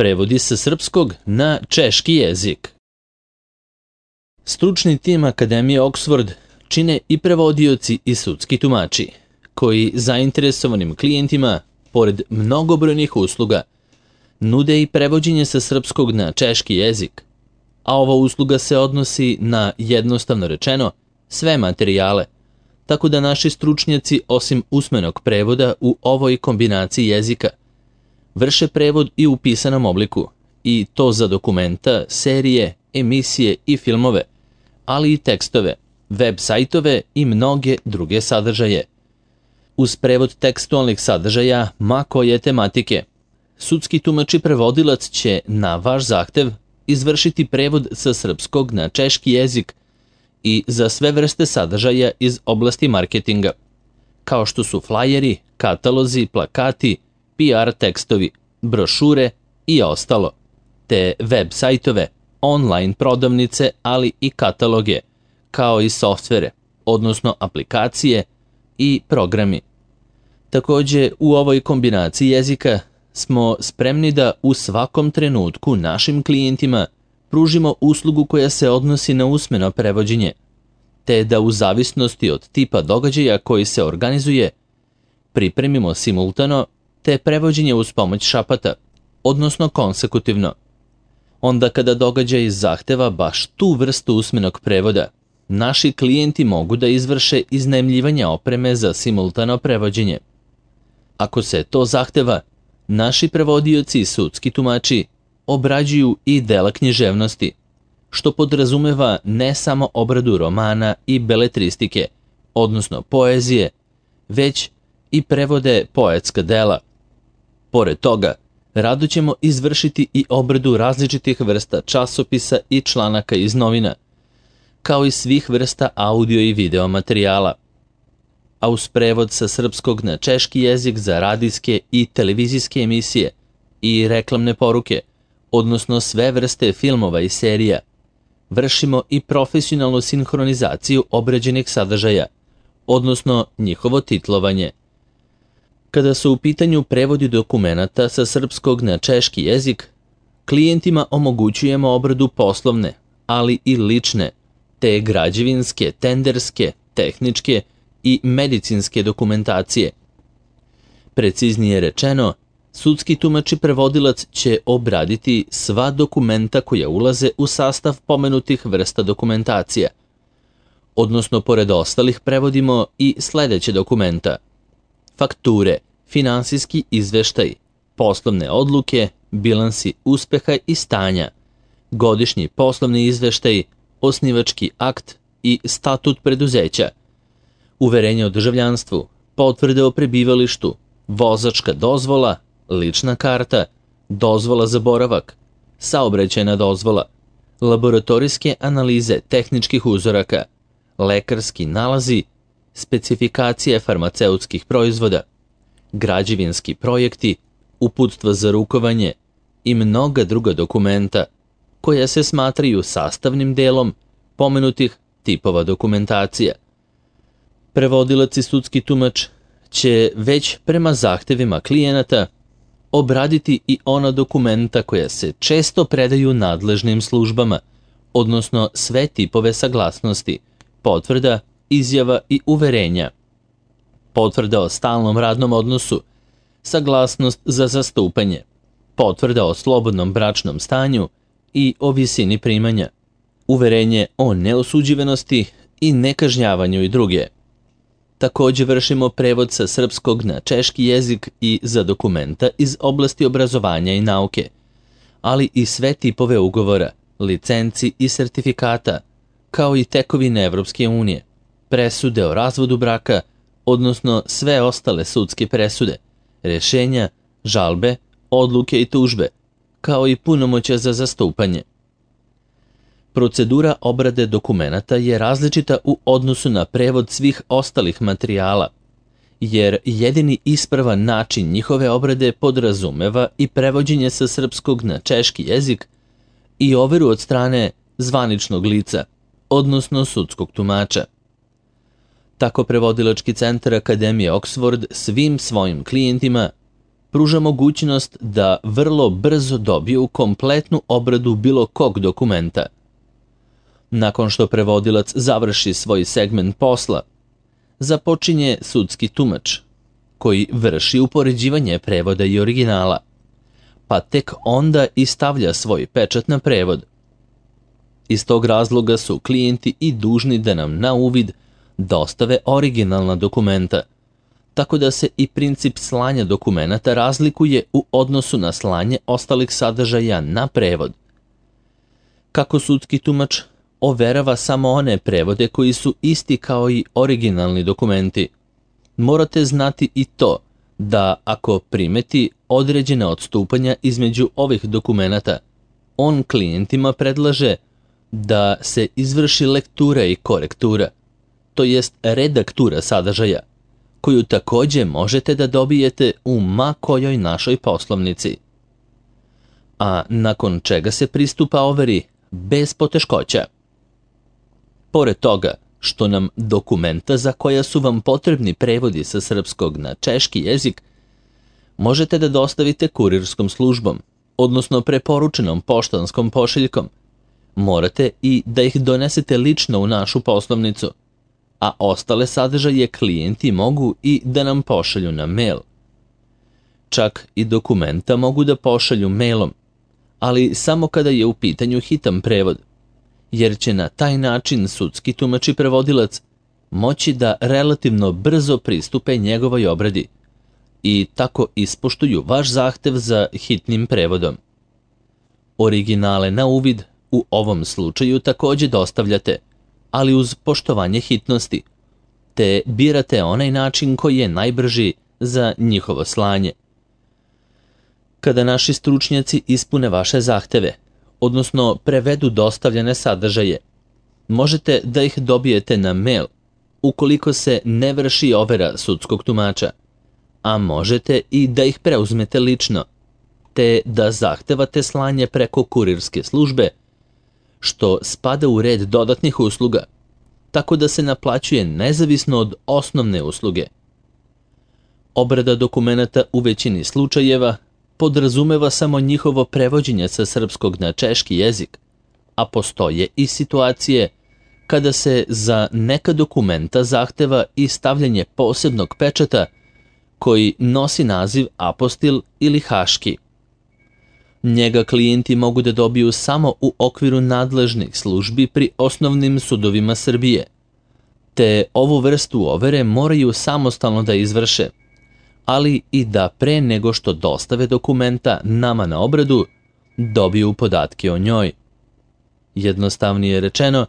Prevodi sa srpskog na češki jezik. Stručni tim Akademije Oxford čine i prevodioci i sudski tumači, koji zainteresovanim klijentima, pored mnogobrojnih usluga, nude i prevođenje sa srpskog na češki jezik, a ova usluga se odnosi na, jednostavno rečeno, sve materijale, tako da naši stručnjaci, osim usmenog prevoda u ovoj kombinaciji jezika, vrše prevod i u pisanom obliku, i to za dokumenta, serije, emisije i filmove, ali i tekstove, web sajtove i mnoge druge sadržaje. Uz prevod tekstualnih sadržaja ma koje tematike, sudski tumač i prevodilac će na vaš zahtev izvršiti prevod sa srpskog na češki jezik i za sve vrste sadržaja iz oblasti marketinga, kao što su flajeri, katalozi, plakati, PR tekstovi, brošure i ostalo, te web sajtove, online prodavnice, ali i kataloge, kao i softvere, odnosno aplikacije i programi. Takođe, u ovoj kombinaciji jezika smo spremni da u svakom trenutku našim klijentima pružimo uslugu koja se odnosi na usmeno prevođenje, te da u zavisnosti od tipa događaja koji se organizuje, pripremimo simultano te prevođenje uz pomoć šapata, odnosno konsekutivno. Onda kada događaj zahteva baš tu vrstu usmenog prevoda, naši klijenti mogu da izvrše iznajmljivanje opreme za simultano prevođenje. Ako se to zahteva, naši prevodioci i sudski tumači obrađuju i dela književnosti, što podrazumeva ne samo obradu romana i beletristike, odnosno poezije, već i prevode poetska dela. Pored toga, rado ćemo izvršiti i obradu različitih vrsta časopisa i članaka iz novina, kao i svih vrsta audio i video materijala. A uz prevod sa srpskog na češki jezik za radijske i televizijske emisije i reklamne poruke, odnosno sve vrste filmova i serija, vršimo i profesionalnu sinhronizaciju obrađenih sadržaja, odnosno njihovo titlovanje. Kada su u pitanju prevodi dokumenata sa srpskog na češki jezik, klijentima omogućujemo obradu poslovne, ali i lične, te građevinske, tenderske, tehničke i medicinske dokumentacije. Preciznije rečeno, sudski tumač i prevodilac će obraditi sva dokumenta koja ulaze u sastav pomenutih vrsta dokumentacija, odnosno pored ostalih prevodimo i sledeće dokumenta: fakture, finansijski izveštaj, poslovne odluke, bilansi uspeha i stanja, godišnji poslovni izveštaj, osnivački akt i statut preduzeća, uverenje o državljanstvu, potvrde o prebivalištu, vozačka dozvola, lična karta, dozvola za boravak, saobraćajna dozvola, laboratorijske analize tehničkih uzoraka, lekarski nalazi, specifikacije farmaceutskih proizvoda, građevinski projekti, uputstva za rukovanje i mnoga druga dokumenta koja se smatraju sastavnim delom pomenutih tipova dokumentacija. Prevodilac i sudski tumač će već prema zahtevima klijenata obraditi i ona dokumenta koja se često predaju nadležnim službama, odnosno sve tipove saglasnosti, potvrda, izjava i uverenja, potvrda o stalnom radnom odnosu, saglasnost za zastupanje, potvrda o slobodnom bračnom stanju i o visini primanja, uverenje o neosuđivanosti i nekažnjavanju i druge. Takođe vršimo prevod sa srpskog na češki jezik i za dokumenta iz oblasti obrazovanja i nauke, ali i sve tipove ugovora, licenci i sertifikata, kao i tekovine Evropske unije, presude o razvodu braka, odnosno sve ostale sudske presude, rešenja, žalbe, odluke i tužbe, kao i punomoćja za zastupanje. Procedura obrade dokumenata je različita u odnosu na prevod svih ostalih materijala, jer jedini ispravan način njihove obrade podrazumeva i prevođenje sa srpskog na češki jezik i overu od strane zvaničnog lica, odnosno sudskog tumača. Tako prevodilački centar Akademije Oxford svim svojim klijentima pruža mogućnost da vrlo brzo dobiju kompletnu obradu bilo kog dokumenta. Nakon što prevodilac završi svoj segment posla, započinje sudski tumač, koji vrši upoređivanje prevoda i originala, pa tek onda i stavlja svoj pečat na prevod. Iz tog razloga su klijenti i dužni da nam na uvid dostave originalna dokumenta, tako da se i princip slanja dokumenata razlikuje u odnosu na slanje ostalih sadržaja na prevod. Kako sudski tumač overava samo one prevode koji su isti kao i originalni dokumenti, morate znati i to da ako primeti određena odstupanja između ovih dokumenata, on klijentima predlaže da se izvrši lektura i korektura, to jest redaktura sadržaja, koju takođe možete da dobijete u ma kojoj našoj poslovnici. A nakon čega se pristupa overi bez poteškoća. Pored toga što nam dokumenta za koja su vam potrebni prevodi sa srpskog na češki jezik možete da dostavite kurirskom službom, odnosno preporučenom poštanskom pošiljkom, morate i da ih donesete lično u našu poslovnicu, a ostale sadržaje klijenti mogu i da nam pošalju na mail. Čak i dokumenta mogu da pošalju mailom, ali samo kada je u pitanju hitan prevod, jer će na taj način sudski tumač i prevodilac moći da relativno brzo pristupe njegovoj obradi i tako ispoštuju vaš zahtev za hitnim prevodom. Originale na uvid u ovom slučaju takođe dostavljate, ali uz poštovanje hitnosti, te birate onaj način koji je najbrži za njihovo slanje. Kada naši stručnjaci ispune vaše zahteve, odnosno prevedu dostavljene sadržaje, možete da ih dobijete na mail ukoliko se ne vrši overa sudskog tumača, a možete i da ih preuzmete lično, te da zahtevate slanje preko kurirske službe, što spada u red dodatnih usluga, tako da se naplaćuje nezavisno od osnovne usluge. Obrada dokumenata u većini slučajeva podrazumeva samo njihovo prevođenje sa srpskog na češki jezik, a postoje i situacije kada se za neka dokumenta zahteva i stavljanje posebnog pečata koji nosi naziv apostil ili haški. Njega klijenti mogu da dobiju samo u okviru nadležnih službi pri osnovnim sudovima Srbije, te ovu vrstu overe moraju samostalno da izvrše, ali i da pre nego što dostave dokumenta nama na obradu, dobiju podatke o njoj. Jednostavnije rečeno,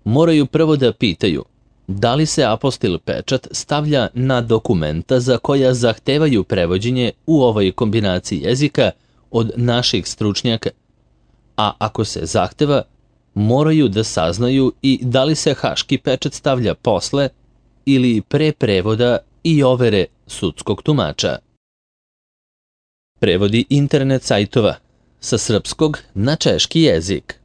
moraju prvo da pitaju da li se apostil pečat stavlja na dokumenta za koja zahtevaju prevođenje u ovoj kombinaciji jezika od naših stručnjaka, a ako se zahteva, moraju da saznaju i da li se haški pečat stavlja posle ili pre prevoda i overe sudskog tumača. Prevodi internet sajtova sa srpskog na češki jezik.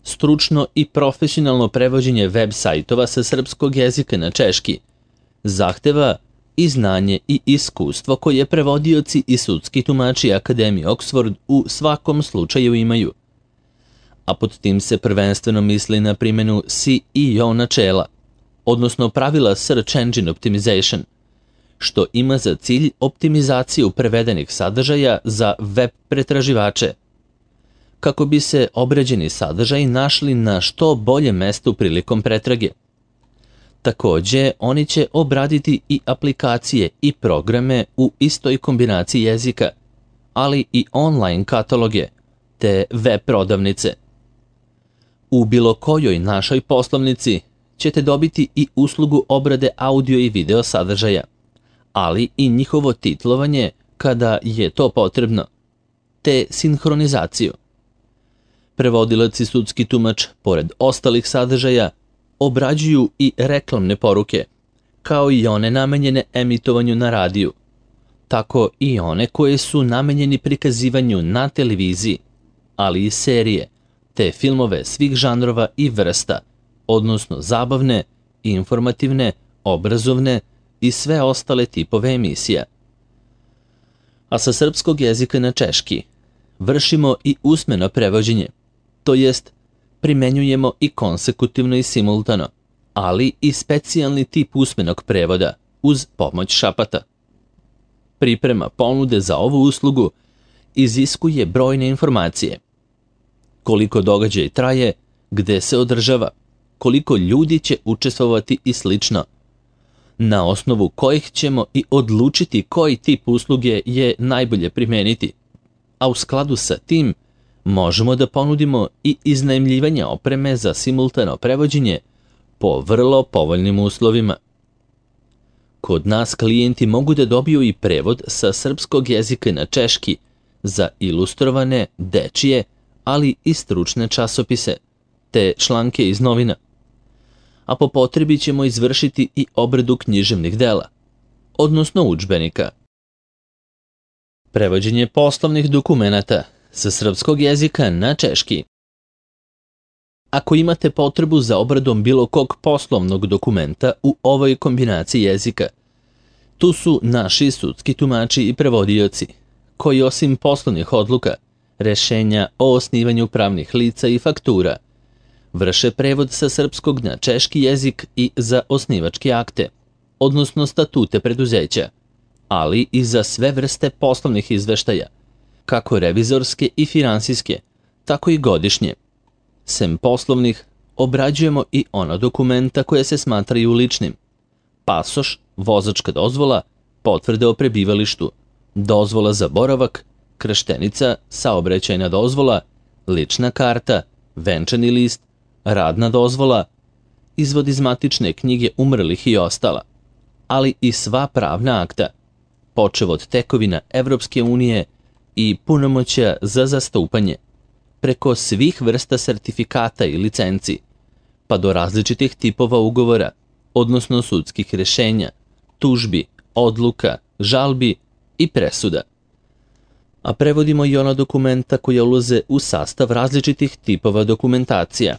Stručno i profesionalno prevođenje web sajtova sa srpskog jezika na češki zahteva i znanje i iskustvo koje prevodioci i sudski tumači Akademije Oxford u svakom slučaju imaju. A pod tim se prvenstveno misli na primjenu SEO načela, odnosno pravila Search Engine Optimization, što ima za cilj optimizaciju prevedenih sadržaja za web pretraživače, kako bi se obrađeni sadržaji našli na što bolje mestu prilikom pretrage. Takođe, oni će obraditi i aplikacije i programe u istoj kombinaciji jezika, ali i online kataloge, te web prodavnice. U bilo kojoj našoj poslovnici ćete dobiti i uslugu obrade audio i video sadržaja, ali i njihovo titlovanje kada je to potrebno, te sinhronizaciju. Prevodilac i sudski tumač, pored ostalih sadržaja, obrađuju i reklamne poruke, kao i one namenjene emitovanju na radiju, tako i one koje su namenjeni prikazivanju na televiziji, ali i serije, te filmove svih žanrova i vrsta, odnosno zabavne, informativne, obrazovne i sve ostale tipove emisija. a sa srpskog jezika na češki vršimo i usmeno prevođenje, to jest primenjujemo i konsekutivno i simultano, ali i specijalni tip usmenog prevoda uz pomoć šapata. Priprema ponude za ovu uslugu iziskuje brojne informacije. Koliko događaj traje, gde se održava, koliko ljudi će učestvovati i slično, na osnovu kojih ćemo i odlučiti koji tip usluge je najbolje primeniti, a u skladu sa tim možemo da ponudimo i iznajmljivanje opreme za simultano prevođenje po vrlo povoljnim uslovima. Kod nas klijenti mogu da dobiju i prevod sa srpskog jezika na češki za ilustrovane, dečije, ali i stručne časopise, te članke iz novina. A po potrebi ćemo izvršiti i obradu književnih dela, odnosno udžbenika. Prevođenje poslovnih dokumenata sa srpskog jezika na češki. Ako imate potrebu za obradom bilo kog poslovnog dokumenta u ovoj kombinaciji jezika, tu su naši sudski tumači i prevodioci, koji osim poslovnih odluka, rešenja o osnivanju pravnih lica i faktura, vrše prevod sa srpskog na češki jezik i za osnivačke akte, odnosno statute preduzeća, ali i za sve vrste poslovnih izveštaja, kako revizorske i finansijske, tako i godišnje. Sem poslovnih, obrađujemo i ona dokumenta koje se smatraju ličnim: pasoš, vozačka dozvola, potvrde o prebivalištu, dozvola za boravak, krštenica, saobraćajna dozvola, lična karta, venčani list, radna dozvola, izvod iz matične knjige umrlih i ostala, ali i sva pravna akta, počev od tekovina Evropske unije i punomoćja za zastupanje, preko svih vrsta sertifikata i licenci, pa do različitih tipova ugovora, odnosno sudskih rešenja, tužbi, odluka, žalbi i presuda. A prevodimo i ona dokumenta koja ulaze u sastav različitih tipova dokumentacija,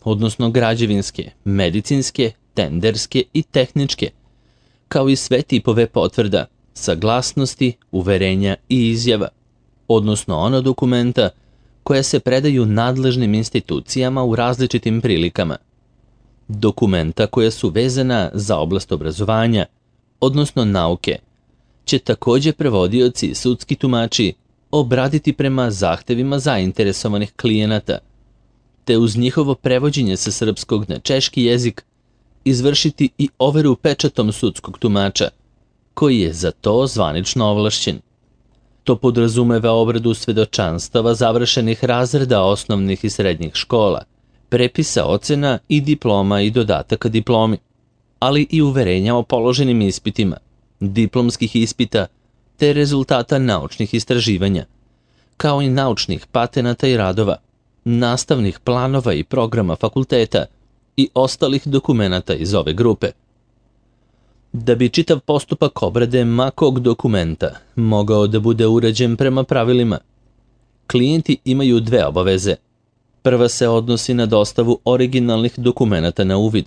odnosno građevinske, medicinske, tenderske i tehničke, kao i sve tipove potvrda, saglasnosti, uverenja i izjava, odnosno ona dokumenta koja se predaju nadležnim institucijama u različitim prilikama. Dokumenta koja su vezana za oblast obrazovanja, odnosno nauke, će takođe prevodioci i sudski tumači obraditi prema zahtevima zainteresovanih klijenata, te uz njihovo prevođenje sa srpskog na češki jezik izvršiti i overu pečatom sudskog tumača, koji je za to zvanično ovlašćen. To podrazumeva obradu svedočanstava završenih razreda osnovnih i srednjih škola, prepisa ocena i diploma i dodataka diplomi, ali i uverenja o položenim ispitima, diplomskih ispita te rezultata naučnih istraživanja, kao i naučnih patenata i radova, nastavnih planova i programa fakulteta i ostalih dokumenata iz ove grupe. Da bi čitav postupak obrade makog dokumenta mogao da bude urađen prema pravilima, klijenti imaju dve obaveze. Prva se odnosi na dostavu originalnih dokumenata na uvid,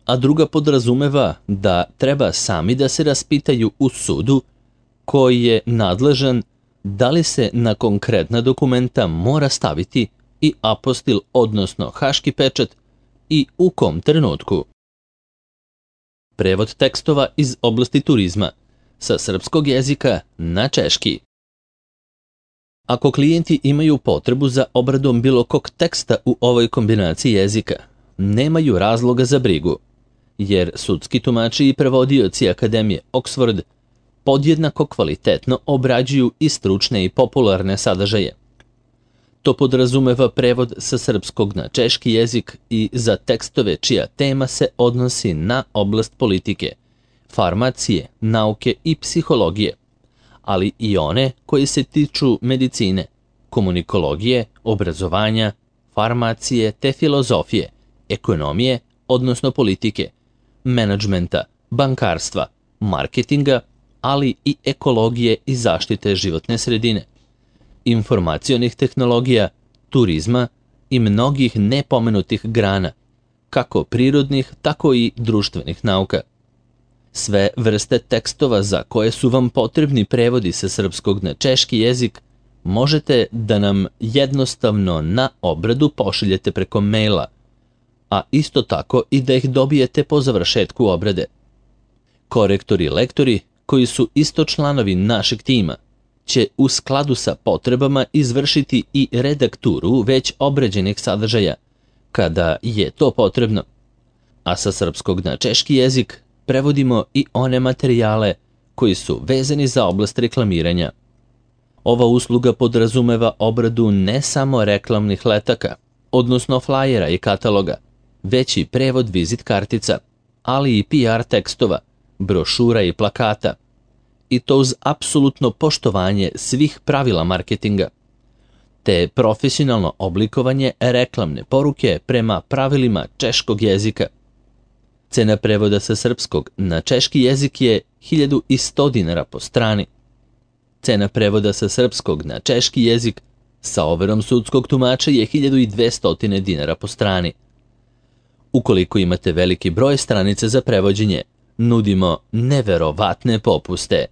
a druga podrazumeva da treba sami da se raspitaju u sudu koji je nadležan da li se na konkretna dokumenta mora staviti i apostil, odnosno haški pečat, i u kom trenutku. Prevod tekstova iz oblasti turizma sa srpskog jezika na češki. Ako klijenti imaju potrebu za obradom bilo kog teksta u ovoj kombinaciji jezika, nemaju razloga za brigu, jer sudski tumači i prevodioci Akademije Oxford podjednako kvalitetno obrađuju i stručne i popularne sadržaje. To podrazumeva prevod sa srpskog na češki jezik i za tekstove čija tema se odnosi na oblast politike, farmacije, nauke i psihologije, ali i one koji se tiču medicine, komunikologije, obrazovanja, farmacije te filozofije, ekonomije, odnosno politike, menadžmenta, bankarstva, marketinga, ali i ekologije i zaštite životne sredine, informacionih tehnologija, turizma i mnogih nepomenutih grana, kako prirodnih, tako i društvenih nauka. Sve vrste tekstova za koje su vam potrebni prevodi sa srpskog na češki jezik možete da nam jednostavno na obradu pošaljete preko maila, a isto tako i da ih dobijete po završetku obrade. Korektori i lektori, koji su isto članovi našeg tima, će u skladu sa potrebama izvršiti i redakturu već obrađenih sadržaja, kada je to potrebno, a sa srpskog na češki jezik prevodimo i one materijale koji su vezani za oblast reklamiranja. Ova usluga podrazumeva obradu ne samo reklamnih letaka, odnosno flajera i kataloga, već i prevod vizit kartica, ali i PR tekstova, brošura i plakata, i to uz apsolutno poštovanje svih pravila marketinga, te profesionalno oblikovanje reklamne poruke prema pravilima češkog jezika. Cena prevoda sa srpskog na češki jezik je 1100 dinara po strani. Cena prevoda sa srpskog na češki jezik sa overom sudskog tumača je 1200 dinara po strani. Ukoliko imate veliki broj stranica za prevođenje, nudimo neverovatne popuste.